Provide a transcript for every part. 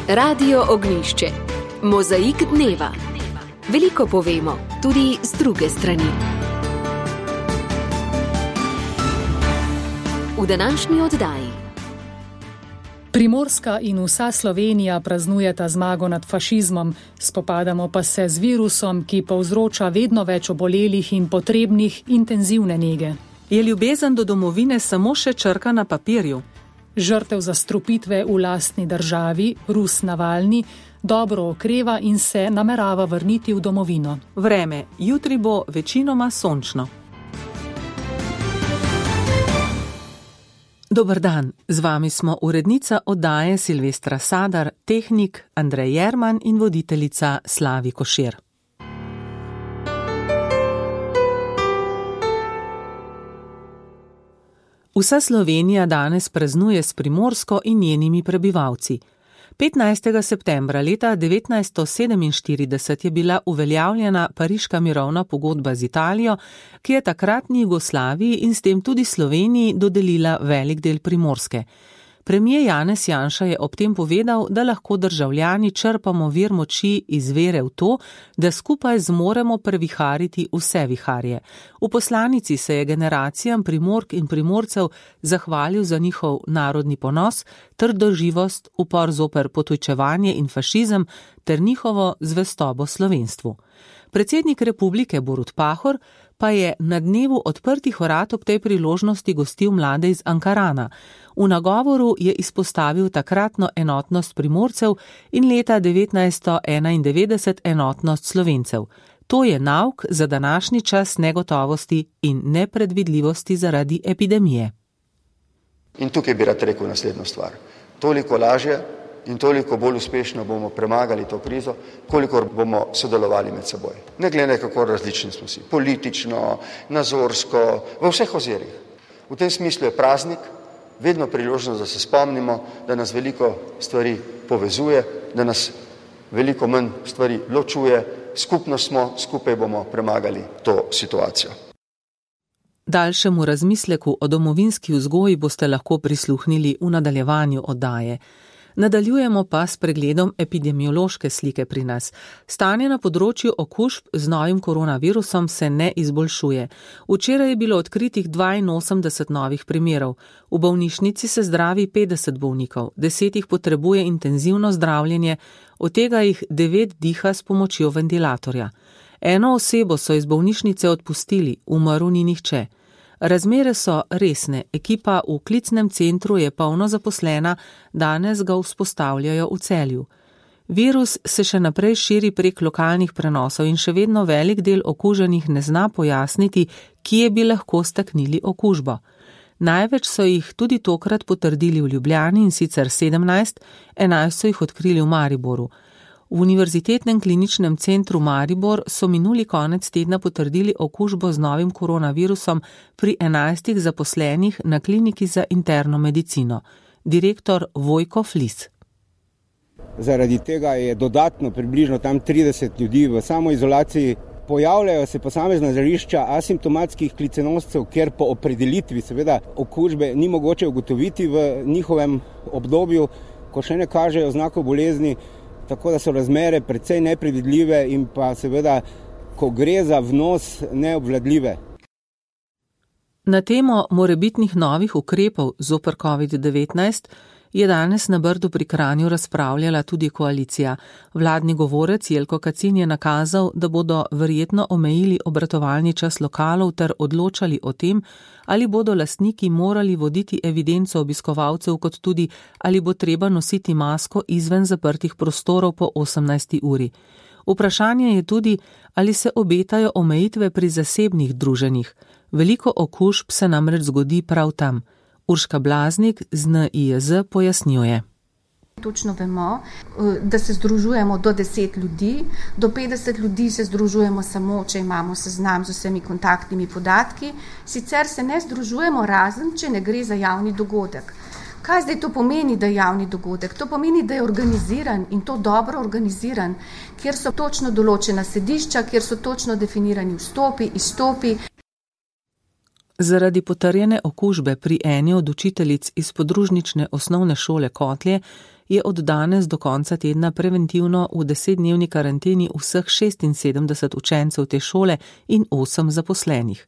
Radio Ognjišče. Mozaik dneva. Veliko povemo, tudi z druge strani. V današnji oddaji. Primorska in vsa Slovenija praznujeta zmago nad fašizmom, spopadamo pa se z virusom, ki povzroča vedno več obolelih in potrebnih intenzivne nege. Je ljubezen do domovine samo še črka na papirju? Žrtev zastrupitve v lastni državi, Rus Navalni, dobro okreva in se namerava vrniti v domovino. Vreme, jutri bo večinoma sončno. Dober dan, z vami smo urednica oddaje Silvestra Sadar, tehnik Andrej Jerman in voditeljica Slavi Košir. Vsa Slovenija danes praznuje s Primorsko in njenimi prebivalci. 15. septembra leta 1947 je bila uveljavljena Pariška mirovna pogodba z Italijo, ki je takratni Jugoslaviji in s tem tudi Sloveniji dodelila velik del Primorske. Premijer Janez Janša je ob tem povedal, da lahko državljani črpamo vir moči iz vere v to, da skupaj zmoremo previhariti vse viharje. V poslanici se je generacijam Primork in Primorcev zahvalil za njihov narodni ponos, trdoživost, upor zoper potujčevanje in fašizem ter njihovo zvestobo slovenstvu. Predsednik republike Borut Pahor pa je na dnevu odprtih vrat ob tej priložnosti gostil mlade iz Ankarana. V nagovoru je izpostavil takratno enotnost Primorcev in leta 1991 enotnost Slovencev. To je nauk za današnji čas negotovosti in nepredvidljivosti zaradi epidemije. In tukaj bi rad rekel naslednjo stvar. Toliko lažje in toliko bolj uspešno bomo premagali to krizo, kolikor bomo sodelovali med seboj. Ne glede kako različni smo si, politično, nazorsko, v vseh ozirih. V tem smislu je praznik, vedno priložnost, da se spomnimo, da nas veliko stvari povezuje, da nas veliko manj stvari ločuje, skupno smo, skupaj bomo premagali to situacijo. Daljšemu razmisleku o domovinski vzgoji boste lahko prisluhnili v nadaljevanju oddaje. Nadaljujemo pa s pregledom epidemiološke slike pri nas. Stanje na področju okužb z novim koronavirusom se ne izboljšuje. Včeraj je bilo odkritih 82 novih primerov. V bolnišnici se zdravi 50 bolnikov, 10 jih potrebuje intenzivno zdravljenje, od tega jih 9 diha s pomočjo ventilatorja. Eno osebo so iz bolnišnice odpustili, umrl ni nihče. Razmere so resne, ekipa v klicnem centru je polno zaposlena, danes ga vzpostavljajo v Celju. Virus se še naprej širi prek lokalnih prenosov in še vedno velik del okuženih ne zna pojasniti, kje bi lahko staknili okužbo. Največ so jih tudi tokrat potrdili v Ljubljani in sicer 17, 11 so jih odkrili v Mariboru. V Univerzitetnem kliničnem centru Maribor so minuli konec tedna potrdili okužbo z novim koronavirusom pri 11 zaposlenih na kliniki za interno medicino. Direktor Vojko Flis. Zaradi tega je dodatno približno tam 30 ljudi v samoizolaciji. Pojavljajo se posamezna žarišča asimptomatskih klicenoscev, ker po opredelitvi seveda okužbe ni mogoče ugotoviti v njihovem obdobju, ko še ne kažejo znakov bolezni. Tako da so razmere precej nepredvidljive in pa seveda, ko gre za vnos, neobvladljive. Na temo morebitnih novih ukrepov zoper COVID-19 je danes na Brdu pri Kranju razpravljala tudi koalicija. Vladni govorec Jelko Kacin je nakazal, da bodo verjetno omejili obratovalni čas lokalov ter odločali o tem, ali bodo lastniki morali voditi evidenco obiskovalcev, kot tudi ali bo treba nositi masko izven zaprtih prostorov po 18. uri. Vprašanje je tudi, ali se obetajo omejitve pri zasebnih druženjih. Veliko okužb se namreč zgodi prav tam. Urška Blaznik z NIJZ pojasnjuje. Točno vemo, da se združujemo do 10 ljudi, do 50 ljudi se združujemo samo, če imamo seznam z vsemi kontaktnimi podatki, sicer se ne združujemo razen, če ne gre za javni dogodek. Kaj zdaj to pomeni, da je javni dogodek? To pomeni, da je organiziran in to dobro organiziran, kjer so točno določena sedišča, kjer so točno definirani vstopi, izstopi. Zaradi potrjene okužbe pri eni od učiteljic iz podružnične osnovne šole Kotlje je od danes do konca tedna preventivno v 10-dnevni karanteni vseh 76 učencev te šole in 8 zaposlenih.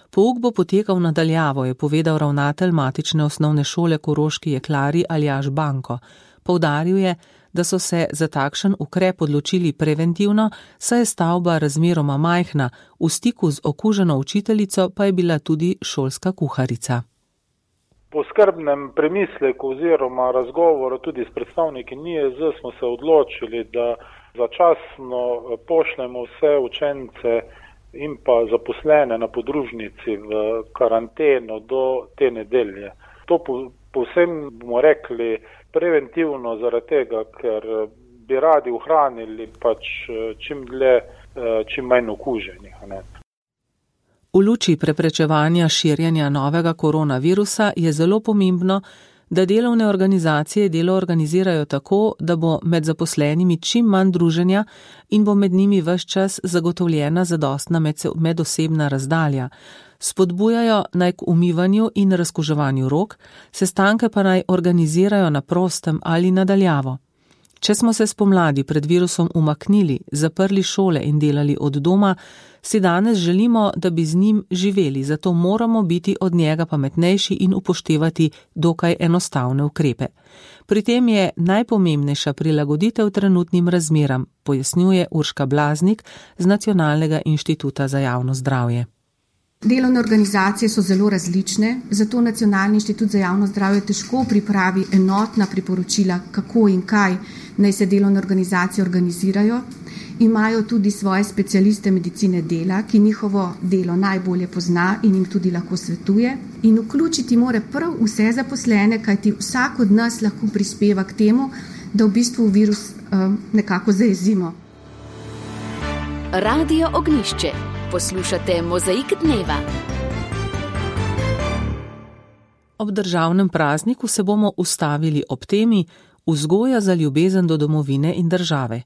Pouk bo potekal nadaljavo, je povedal ravnatelj matične osnovne šole Koroški Jeklari Aljaž Banko. Poudaril je, da so se za takšen ukrep odločili preventivno, saj je stavba razmeroma majhna, v stiku z okuženo učiteljico pa je bila tudi šolska kuharica. Po skrbnem premisleku oziroma razgovoru tudi s predstavniki NIJZ smo se odločili, da začasno pošljemo vse učence in pa zaposlene na podružnici v karanteno do te nedelje. To povsem bomo rekli preventivno zaradi tega, ker bi radi ohranili čim dlje, čim manj okuženih. V luči preprečevanja širjenja novega koronavirusa je zelo pomembno, da delovne organizacije delo organizirajo tako, da bo med zaposlenimi čim manj druženja in bo med njimi ves čas zagotovljena zadostna medosebna razdalja. Spodbujajo naj k umivanju in razkuževanju rok, sestanke pa naj organizirajo na prostem ali nadaljavo. Če smo se spomladi pred virusom umaknili, zaprli šole in delali od doma, si danes želimo, da bi z njim živeli, zato moramo biti od njega pametnejši in upoštevati dokaj enostavne ukrepe. Pri tem je najpomembnejša prilagoditev trenutnim razmeram, pojasnjuje Urška Blaznik z Nacionalnega inštituta za javno zdravje. Delovne organizacije so zelo različne, zato Nacionalni inštitut za javno zdravje težko pripravi enotna priporočila, kako in kaj naj se delovne organizacije organizirajo. Imajo tudi svoje specialiste medicine dela, ki njihovo delo najbolje pozna in jim tudi lahko svetuje. In vključiti mora prav vse zaposlene, kajti vsak od nas lahko prispeva k temu, da v bistvu virus nekako zajezimo. Radio Ognjišče. Poslušate Mozaik dneva. Ob državnem prazniku se bomo ustavili ob temi vzgoja za ljubezen do domovine in države.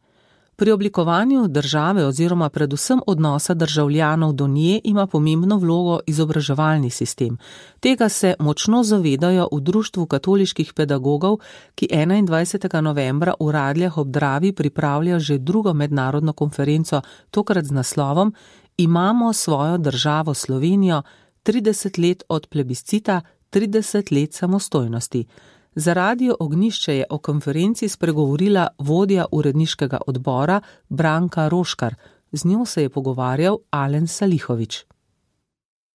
Pri oblikovanju države oziroma predvsem odnosa državljanov do nje ima pomembno vlogo izobraževalni sistem. Tega se močno zavedajo v Društvu katoliških pedagogov, ki 21. novembra v Radljah ob Dravi pripravlja že drugo mednarodno konferenco, tokrat z naslovom Imamo svojo državo Slovenijo, 30 let od plebiscita, 30 let samostojnosti. Za Radio Ognjišče je o konferenci spregovorila vodja uredniškega odbora Branka Roškar. Z njo se je pogovarjal Alen Salihovič.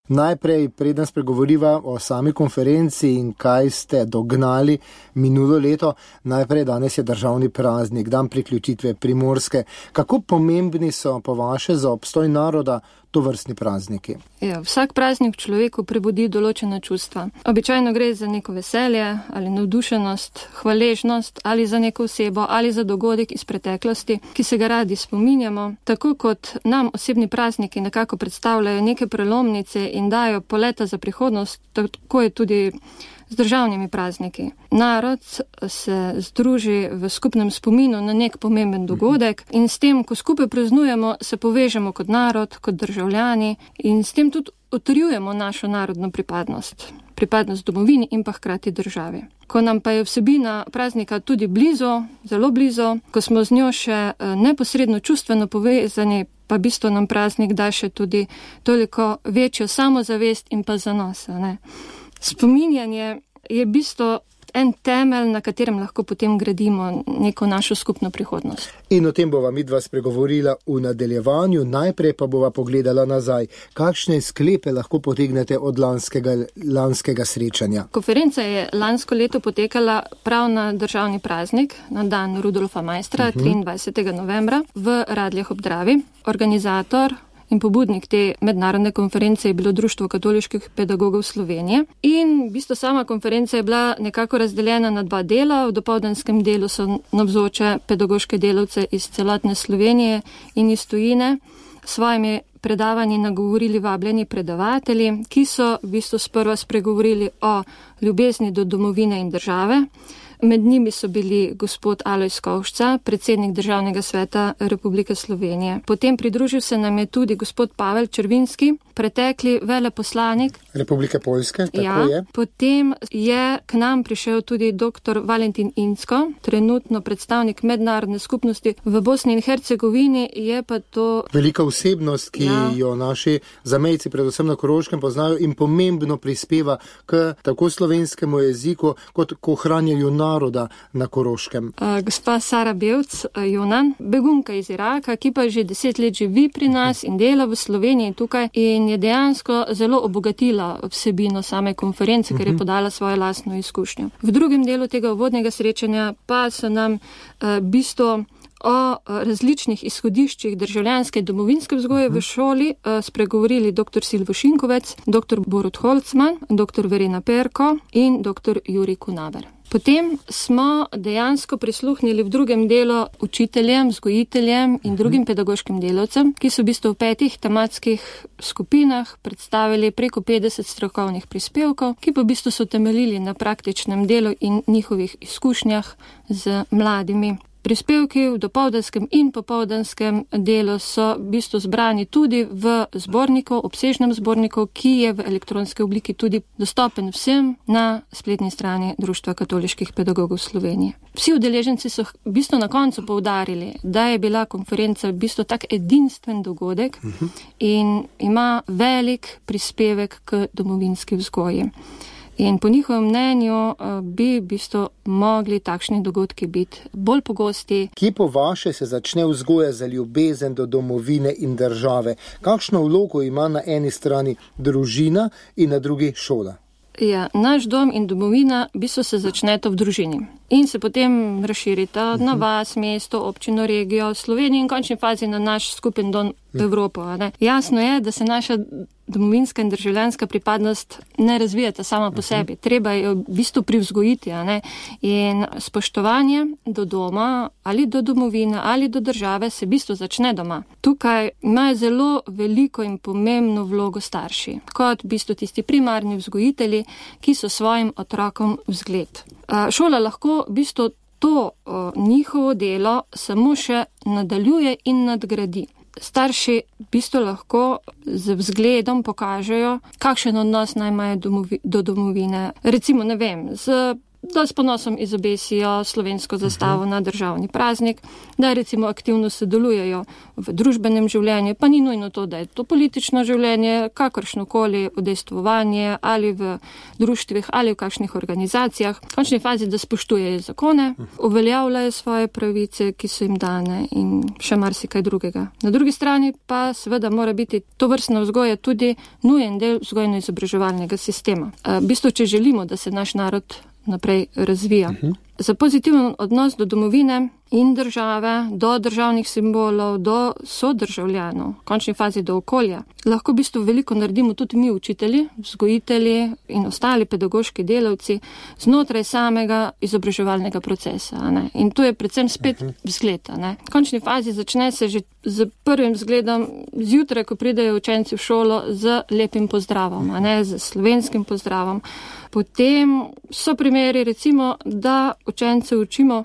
Najprej, preden spregovoriva o sami konferenci in kaj ste dognali minulo leto, najprej danes je državni praznik, dan priključitve Primorske. Kako pomembni so po vaše za obstoj naroda tovrstni prazniki? Vsak praznik človeku prebudi določena čustva. Običajno gre za neko veselje ali navdušenost, hvaležnost ali za neko osebo ali za dogodek iz preteklosti, ki se ga radi spominjamo. Tako kot nam osebni prazniki nekako predstavljajo neke prelomnice in dajo poleta za prihodnost, tako je tudi z državnimi prazniki. Narod se združi v skupnem spominu na nek pomemben dogodek in s tem, ko skupaj praznujemo, se povežemo kot narod, kot državljani in s tem tudi utrjujemo našo narodno pripadnost domovini in pa hkrati državi. Ko nam pa je vsebina praznika tudi blizu, zelo blizu, ko smo z njo še neposredno čustveno povezani, pa bistvo nam praznik da še tudi toliko večjo samozavest in pa zanos. Spominjanje je bistvo en temelj, na katerem lahko potem gradimo neko našo skupno prihodnost. In o tem bova midva spregovorila v nadaljevanju, najprej pa bova pogledala nazaj. Kakšne sklepe lahko potegnete od lanskega srečanja? Konferenca je lansko leto potekala prav na državni praznik, na dan Rudolfa Maistra, 23. novembra, v Radljah ob Dravi. Organizator in pobudnik te mednarodne konference je bilo Društvo katoliških pedagogov Slovenije. In v bistvu sama konferenca je bila nekako razdeljena na dva dela. V dopoldanskem delu so navzoče pedagoške delavce iz celotne Slovenije in iz tujine. Svojimi predavanji nagovorili vabljeni predavatelji, ki so v bistvu sprva spregovorili o ljubezni do domovine in države. Med njimi so bili gospod Alojz Kovšca, predsednik Državnega sveta Republike Slovenije. Potem pridružil se nam je tudi gospod Pavel Červinski, pretekli veleposlanik Republike Poljske, tako je. Potem je k nam prišel tudi dr. Valentin Incko, trenutno predstavnik mednarodne skupnosti v Bosni in Hercegovini, je pa to velika osebnost, ki jo naši zamejci, predvsem na Koroškem, poznajo in pomembno prispeva k tako slovenskemu jeziku, kot k ohranjanju naroda na Koroškem. Gospa Sara Bevc Jonan, begunka iz Iraka, ki pa že 10 let živi pri nas in dela v Sloveniji tukaj in je dejansko zelo obogatila vsebino same konference, ker je podala svojo lastno izkušnjo. V drugem delu tega uvodnega srečanja pa so nam bistvo o različnih izhodiščih državljanske in domovinske vzgoje v šoli spregovorili dr. Silvo Šinkovec, dr. Borut Holcman, dr. Verena Perko in dr. Jurij Kunaver. Potem smo dejansko prisluhnili v drugem delu učiteljem, vzgojiteljem in drugim pedagoškim delavcem, ki so v bistvu v 5 tematskih skupinah predstavili preko 50 strokovnih prispevkov, ki pa v bistvu so temeljili na praktičnem delu in njihovih izkušnjah z mladimi. Prispevki v dopoldanskem in popoldanskem delu so v bistvu zbrani tudi v zborniku, obsežnem zborniku, ki je v elektronski obliki tudi dostopen vsem na spletni strani Društva katoliških pedagogov Slovenije. Vsi udeleženci so v bistvu na koncu poudarili, da je bila konferenca v bistvu tak edinstven dogodek in ima velik prispevek k domovinski vzgoji. In po njihovem mnenju bi v bistvu mogli takšni dogodki biti bolj pogosti. Kje po vaše se začne vzgoja za ljubezen do domovine in države? Kakšno vlogo ima na eni strani družina in na drugi šola? Ja, naš dom in domovina v bistvu se začneta v družini in se potem razširita na vas, mesto, občino, regijo, Slovenijo in v končni fazi na naš skupen dom Evropo. Jasno je, da se naša domovinska in državljanska pripadnost ne razvijata sama po sebi. Treba jo v bistvu privzgojiti. In spoštovanje do doma ali do domovine ali do države se v bistvu začne doma. Tukaj imajo zelo veliko in pomembno vlogo starši, kot v bistvu tisti primarni vzgojitelji, ki so svojim otrokom vzgled. Šola lahko v bistvu to njihovo delo samo še nadaljuje in nadgradi. Starši v bistvu lahko z vzgledom pokažejo, kakšen odnos naj imajo do domovine. Recimo, ne vem, da s ponosom izobesijo slovensko zastavo na državni praznik, da recimo aktivno sodelujejo v družbenem življenju, pa ni nujno to, da je to politično življenje, kakršnokoli udejstvovanje ali v društvih ali v kakšnih organizacijah. V končni fazi, da spoštujejo zakone, uveljavljajo svoje pravice, ki so jim dane in še marsikaj drugega. Na drugi strani pa seveda mora biti tovrstna vzgoja tudi nujen del vzgojno-izobraževalnega sistema. V bistvu, če želimo, da se naš narod naprej razvija. Za pozitiven odnos do domovine in države, do državnih simbolov, do sodržavljanov, v končni fazi do okolja, lahko v bistvu veliko naredimo tudi mi učitelji, vzgojitelji in ostali pedagoški delavci znotraj samega izobraževalnega procesa. In to je predvsem spet vzgled. V končni fazi začne se že z prvim vzgledom zjutraj, ko pridejo učenci v šolo, z lepim pozdravom, z slovenskim pozdravom. Potem so primeri, recimo, da učence učimo,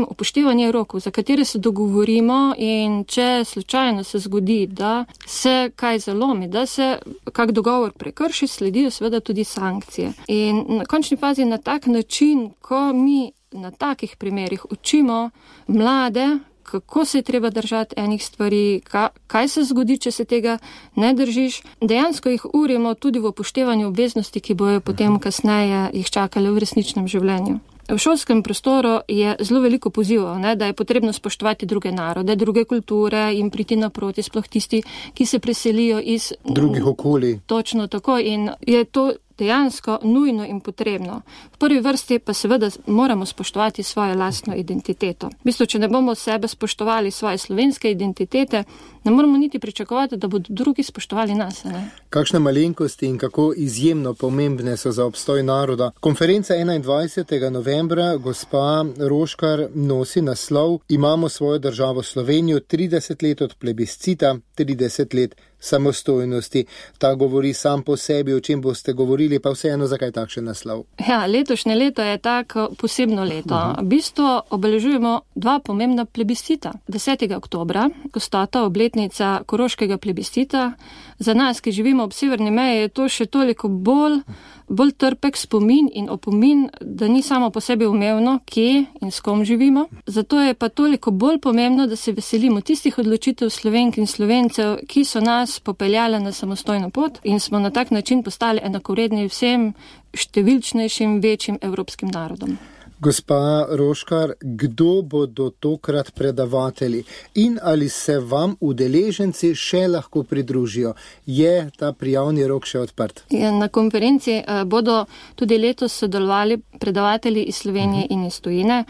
upoštevanje rokov, za katere se dogovorimo in če slučajno se zgodi, da se kaj zalomi, da se kak dogovor prekrši, sledijo seveda tudi sankcije. In na končni fazi na tak način, ko mi na takih primerih učimo mlade, kako se je treba držati enih stvari, kaj se zgodi, če se tega ne držiš. Dejansko jih urimo tudi v upoštevanju obveznosti, ki bojo potem kasneje jih čakale v resničnem življenju. V šolskem prostoru je zelo veliko pozivov, da je potrebno spoštovati druge narode, druge kulture in priti naproti, sploh tisti, ki se preselijo iz drugih okolij. Točno tako in je to dejansko nujno in potrebno. V prvi vrsti pa seveda moramo spoštovati svojo lastno identiteto. V bistvu, če ne bomo sebe spoštovali svoje slovenske identitete, ne moramo niti pričakovati, da bodo drugi spoštovali nas. Kakšne malenkosti in kako izjemno pomembne so za obstoj naroda. Konferenca 21. novembra, gospa Roškar, nosi naslov Imamo svojo državo Slovenijo, 30 let od plebiscita, 30 let samostojnosti. Ta govori sam po sebi, o čem boste govorili, pa vseeno zakaj takšen naslov? Ja, letošnje leto je tako posebno leto. V bistvu obeležujemo dva pomembna plebiscita. 10. oktobra, ko sta ta obletnica koroškega plebiscita, za nas, ki živimo ob severni meji, je to še toliko bolj trpek spomin in opomin, da ni samo po sebi umevno, kje in s kom živimo. Zato je pa toliko bolj pomembno, da se veselimo tistih odločitev Slovenk in Slovencev, ki so nas popeljale na samostojno pot in smo na tak način postali enakovredni vsem številčnejšim, večjim evropskim narodom. Gospa Roškar, kdo bodo tokrat predavatelji in ali se vam udeleženci še lahko pridružijo? Je ta prijavni rok še odprt? Na konferenci bodo tudi letos sodelovali predavatelji iz Slovenije in iz tujine.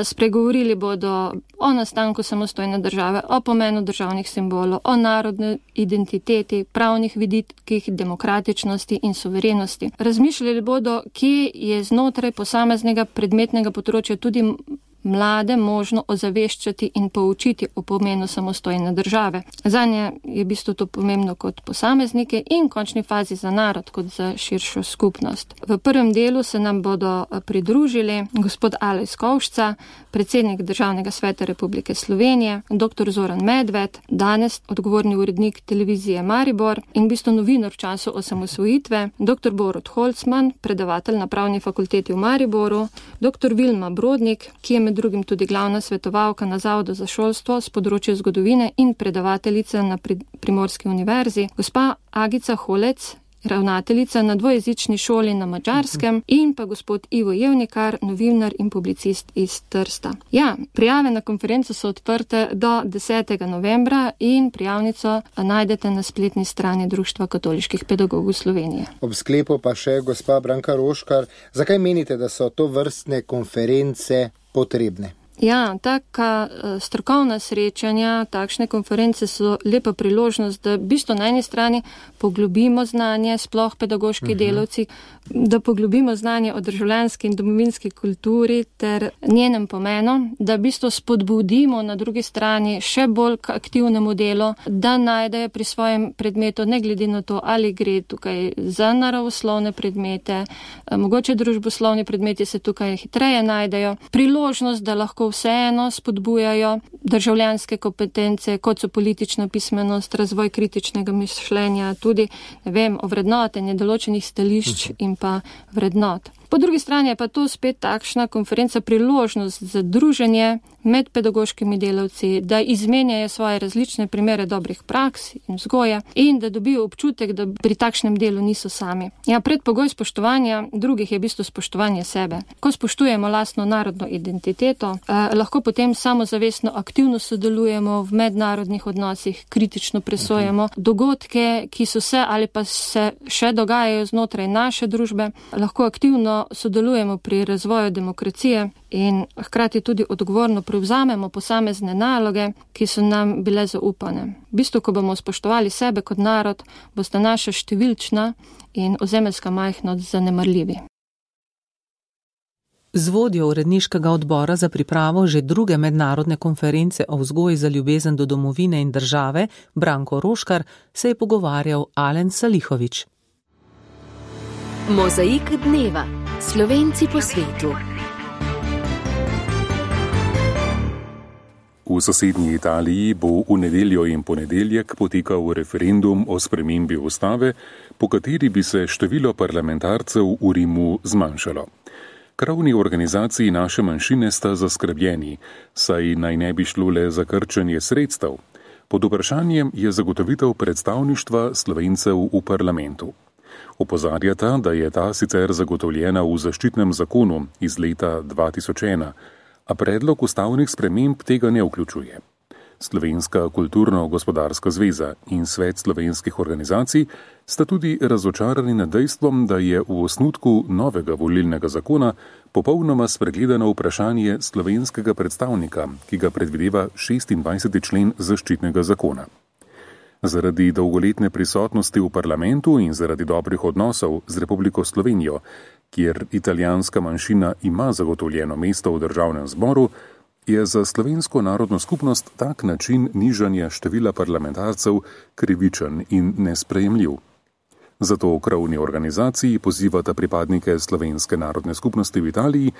Spregovorili bodo o nastanku samostojne države, o pomenu državnih simbolov, o narodni identiteti, pravnih vidikih, demokratičnosti in suverenosti. Razmišljali bodo, kje je znotraj posameznega predmetnega področja tudi mlade možno ozaveščati in poučiti o pomenu samostojne države. Zanje je v bistvu to pomembno kot posameznike in v končni fazi za narod kot za širšo skupnost. V prvem delu se nam bodo pridružili gospod Alojz Kovšca, predsednik Državnega sveta Republike Slovenije, dr. Zoran Medved, danes odgovorni urednik televizije Maribor in v bistvu novinar v času osamosvojitve, dr. Borut Holcman, predavatelj na Pravni fakulteti v Mariboru, dr. Vilma Brodnik, ki je med drugim tudi glavna svetovalka na Zavodu za šolstvo z področja zgodovine in predavateljica na Primorski univerzi, gospa Agica Holec, ravnateljica na dvojezični šoli na Madžarskem in pa gospod Ivo Jevnikar, novinar in publicist iz Trsta. Ja, prijave na konferenco so odprte do 10. novembra in prijavnico najdete na spletni strani Društva katoliških pedagogov Slovenije. Ob sklepu pa še gospa Branka Roškar, zakaj menite, da so to vrstne konference potrebne? Ja, taka strokovna srečanja, takšne konference so lepa priložnost, da v bistvu na eni strani poglobimo znanje, sploh pedagoški delavci, da poglobimo znanje o državljanski in domovinski kulturi ter njenem pomenu, da v bistvu spodbudimo na drugi strani še bolj k aktivnemu delu, da najdejo pri svojem predmetu, ne glede na to, ali gre tukaj za naravoslovne predmete, mogoče družboslovni predmeti se tukaj hitreje najdejo, priložnost, da lahko vseeno spodbujajo državljanske kompetence, kot so politična pismenost, razvoj kritičnega mišljenja, tudi, ovrednotenje določenih stališč in pa vrednot. Po drugi strani je pa to spet takšna konferenca priložnost za druženje med pedagoškimi delavci, da izmenjajo svoje različne primere dobrih praks in vzgoje in da dobijo občutek, da pri takšnem delu niso sami. Ja, predpogoj spoštovanja drugih je v bistvu spoštovanje sebe. Ko spoštujemo lastno narodno identiteto, lahko potem samozavestno aktivno sodelujemo v mednarodnih odnosih, kritično presojamo dogodke, ki so se ali pa se še dogajajo znotraj naše družbe, lahko aktivno sodelujemo pri razvoju demokracije in hkrati tudi odgovorno prevzamemo posamezne naloge, ki so nam bile zaupane. V bistvu, ko bomo spoštovali sebe kot narod, bosta naša številčna in ozemeljska majhnost zanemarljivi. Z vodjo uredniškega odbora za pripravo že druge mednarodne konference o vzgoji za ljubezen do domovine in države, Branko Roškar, se je pogovarjal Alen Salihović. Mozaik dneva. Slovenci po svetu. V sosednji Italiji bo v nedeljo in ponedeljek potekal referendum o spremembi ustave, po kateri bi se število parlamentarcev v Rimu zmanjšalo. Krovni organizaciji naše manjšine sta zaskrbljeni, saj naj ne bi šlo le za krčenje sredstev. Pod vprašanjem je zagotovitev predstavništva Slovencev v parlamentu. Opozarjata, da je ta sicer zagotovljena v zaščitnem zakonu iz leta 2001, a predlog ustavnih sprememb tega ne vključuje. Slovenska kulturno-gospodarska zveza in Svet slovenskih organizacij sta tudi razočarani nad dejstvom, da je v osnutku novega volilnega zakona popolnoma spregledano vprašanje slovenskega predstavnika, ki ga predvideva 26. člen zaščitnega zakona. Zaradi dolgoletne prisotnosti v parlamentu in zaradi dobrih odnosov z Republiko Slovenijo, kjer italijanska manjšina ima zagotovljeno mesto v državnem zboru, je za slovensko narodno skupnost tak način nižanja števila parlamentarcev krivičen in nesprejemljiv. Zato v krovni organizaciji pozivata pripadnike slovenske narodne skupnosti v Italiji,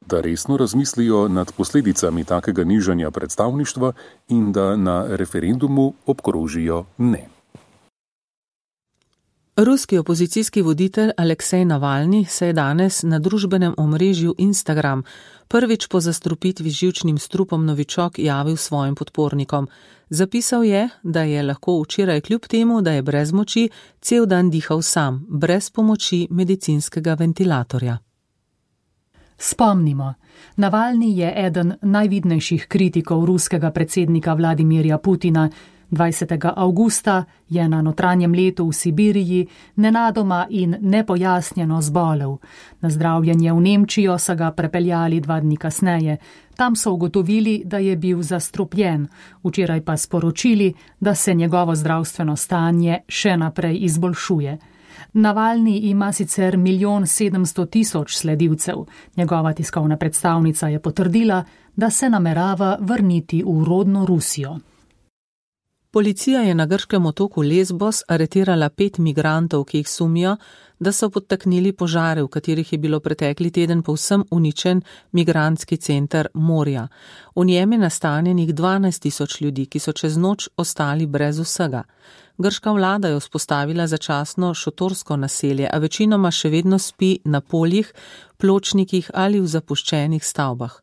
da resno razmislijo nad posledicami takega nižanja predstavništva in da na referendumu obkrožijo ne. Ruski opozicijski voditelj Aleksej Navalni se je danes na družbenem omrežju Instagram prvič po zastrupitvi z živčnim strupom novičok javil svojim podpornikom. Zapisal je, da je lahko včeraj kljub temu, da je brez moči, cel dan dihal sam, brez pomoči medicinskega ventilatorja. Spomnimo, Navalni je eden najvidnejših kritikov ruskega predsednika Vladimirja Putina. 20. avgusta je na notranjem letu v Sibiriji nenadoma in nepojasnjeno zbolel. Na zdravljenje v Nemčijo so ga prepeljali 2 dni kasneje. Tam so ugotovili, da je bil zastrupljen, včeraj pa sporočili, da se njegovo zdravstveno stanje še naprej izboljšuje. Navalni ima sicer 1.700.000 sledilcev. Njegova tiskovna predstavnica je potrdila, da se namerava vrniti v rodno Rusijo. Policija je na grškem otoku Lesbos aretirala 5 migrantov, ki jih sumijo, da so podtaknili požare, v katerih je bilo pretekli teden povsem uničen migrantski center Moria. V njem je nastanjenih 12.000 ljudi, ki so čez noč ostali brez vsega. Grška vlada je vzpostavila začasno šotorsko naselje, a večinoma še vedno spi na poljih, pločnikih ali v zapuščenih stavbah.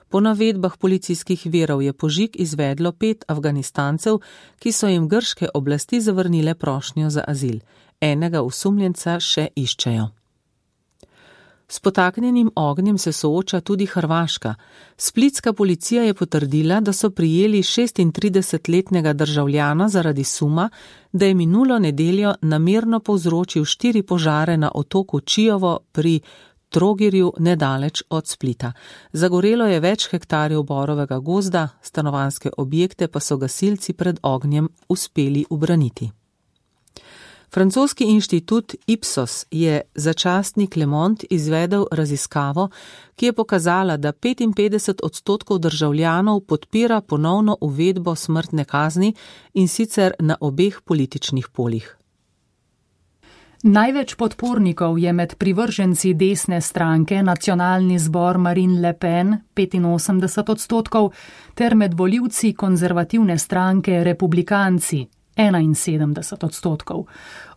Po navedbah policijskih virov je požig izvedlo 5 Afganistancev, ki so jim grške oblasti zavrnile prošnjo za azil. Enega osumljenca še iščejo. S potaknjenim ognjem se sooča tudi Hrvaška. Splitska policija je potrdila, da so prijeli 36-letnega državljana zaradi suma, da je minulo nedeljo namerno povzročil 4 požare na otoku Čiovo pri Trogirju nedaleč od Splita. Zagorelo je več hektarjev borovega gozda, stanovanjske objekte pa so gasilci pred ognjem uspeli ubraniti. Francoski inštitut Ipsos je za časnik Le Monde izvedel raziskavo, ki je pokazala, da 55% državljanov podpira ponovno uvedbo smrtne kazni in sicer na obeh političnih poljih. Največ podpornikov je med privrženci desne stranke Nacionalni zbor Marine Le Pen 85%, ter med volivci konzervativne stranke Republikanci 71%.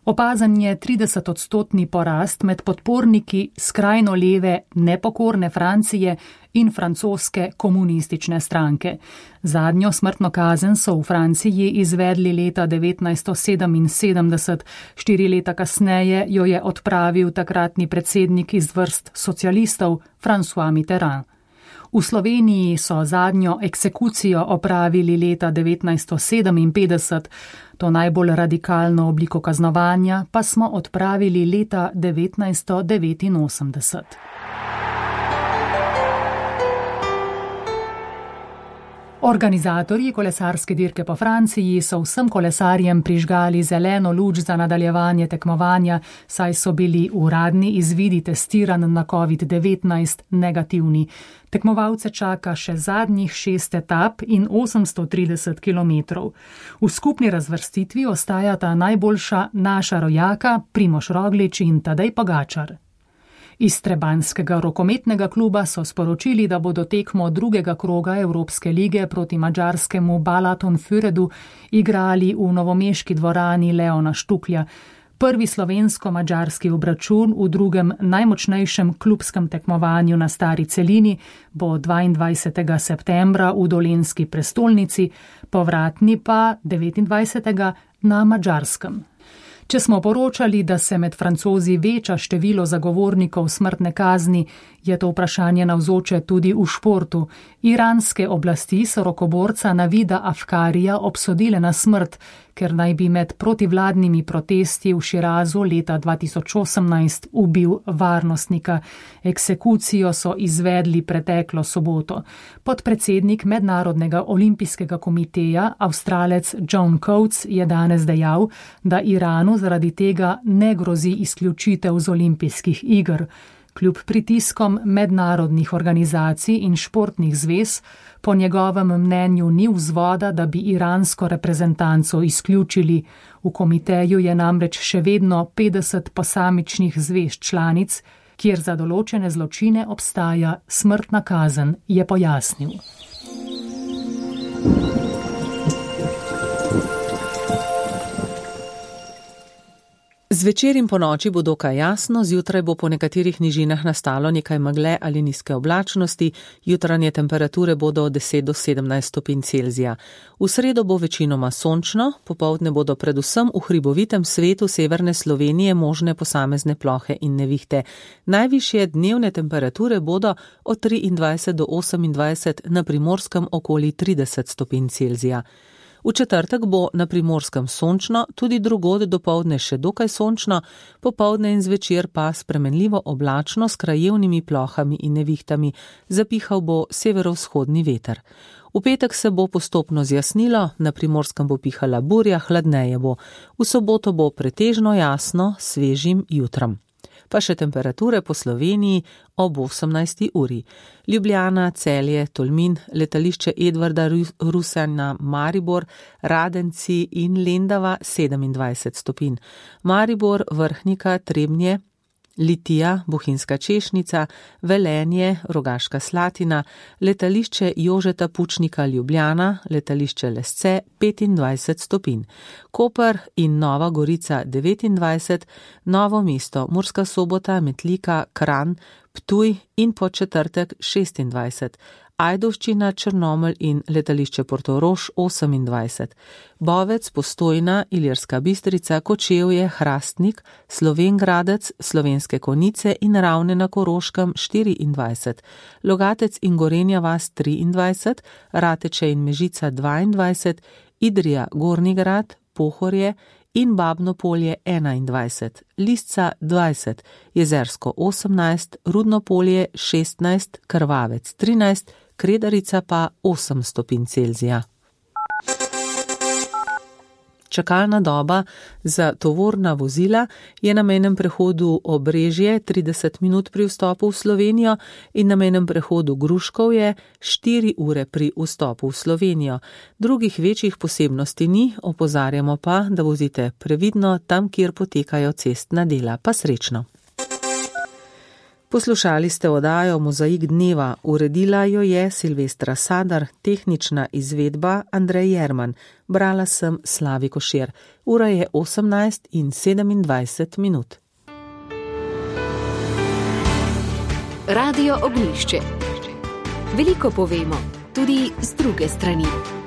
Opazan je 30% porast med podporniki skrajno leve Nepokorne Francije in francoske komunistične stranke. Zadnjo smrtno kazen so v Franciji izvedli leta 1977, 4 leta kasneje jo je odpravil takratni predsednik iz vrst socialistov François Mitterrand. V Sloveniji so zadnjo eksekucijo opravili leta 1957, to najbolj radikalno obliko kaznovanja pa smo odpravili leta 1989. Organizatorji kolesarske dirke po Franciji so vsem kolesarjem prižgali zeleno luč za nadaljevanje tekmovanja, saj so bili uradni izvidi testiranj na COVID-19 negativni. Tekmovalce čaka še zadnjih 6 etap in 830 km. V skupni razvrstitvi ostajata najboljša naša rojaka Primož Roglič in Tadej Pogačar. Iz trebanjskega rokometnega kluba so sporočili, da bodo tekmo 2. kroga Evropske lige proti madžarskemu Balaton-Füredu igrali v novomeški dvorani Leona Štuklja. Prvi slovensko-madžarski obračun v drugem najmočnejšem klubskem tekmovanju na stari celini bo 22. septembra v dolenjski prestolnici, povratni pa 29. na Madžarskem. Če smo poročali, da se med Francozi veča število zagovornikov smrtne kazni, je to vprašanje navzoče tudi v športu. Iranske oblasti so rokoborca Navida Afkarija obsodile na smrt, ker naj bi med protivladnimi protesti v Širazu leta 2018 ubil varnostnika. Eksekucijo so izvedli preteklo soboto. Podpredsednik Mednarodnega olimpijskega komiteja, Avstralec John Coates, je danes dejal, da Iranu zaradi tega ne grozi izključitev z olimpijskih iger. Kljub pritiskom mednarodnih organizacij in športnih zvez, po njegovem mnenju ni vzvoda, da bi iransko reprezentanco izključili. V komiteju je namreč še vedno 50 posamičnih zvez članic, kjer za določene zločine obstaja smrtna kazen, je pojasnil. Zvečer in po noči bo dokaj jasno, zjutraj bo po nekaterih nižinah nastalo nekaj megle ali nizke oblačnosti, jutranje temperature bodo od 10 do 17 stopinj Celzija. V sredo bo večinoma sončno, popoldne bodo predvsem v hribovitem svetu severne Slovenije možne posamezne plohe in nevihte. Najvišje dnevne temperature bodo od 23 do 28, na Primorskem okoli 30 stopinj Celzija. V četrtek bo na Primorskem sončno, tudi drugod dopoldne še dokaj sončno, popoldne in zvečer pa spremenljivo oblačno s krajevnimi plohami in nevihtami, zapihal bo severovzhodni veter. V petek se bo postopno zjasnilo, na Primorskem bo pihala burja, hladneje bo. V soboto bo pretežno jasno, svežim jutrom. Pa še temperature po Sloveniji ob 18. uri. Ljubljana, Celje, Tolmin, letališče Edvarda Rusjana, Maribor, Radenci in Lendava 27 stopinj. Maribor, Vrhnika, Trebnje, Litija, Bohinjska Češnica, Velenje, Rogaška Slatina, letališče Jožeta Pučnika Ljubljana, letališče Lesce 25 stopinj. Koper in Nova Gorica 29, Novo mesto, Murska Sobota, Metlika, Kranj, Ptuj in Podčetrtek 26. Ajdovščina, Črnomelj in letališče Portorož 28. Bovec, Postojna, Ilirska Bistrica, Kočevje, Hrastnik, Slovenj Gradec, Slovenske Konjice in Ravne na Koroškem 24. Logatec in Gorenja vas 23, Rateče in Mežica 22, Idrija, Gornji Grad, Pohorje in Babno Polje 21, Lisca 20, Jezersko 18, Rudno Polje 16, Krvavec 13, Kredarica pa 8 stopinj Celzija. Čakalna doba za tovorna vozila je na mejnem prehodu Obrežje 30 minut pri vstopu v Slovenijo in na mejnem prehodu Gruškovje 4 ure pri vstopu v Slovenijo. Drugih večjih posebnosti ni, opozarjamo pa, da vozite previdno tam, kjer potekajo cestna dela. Pa srečno. Poslušali ste oddajo Mozaik dneva, uredila jo je Silvestra Sadar, tehnična izvedba Andrej Jerman, brala sem Slavi Košir. Ura je 18:27 minut. Radio Ognjišče. Veliko povemo, tudi z druge strani.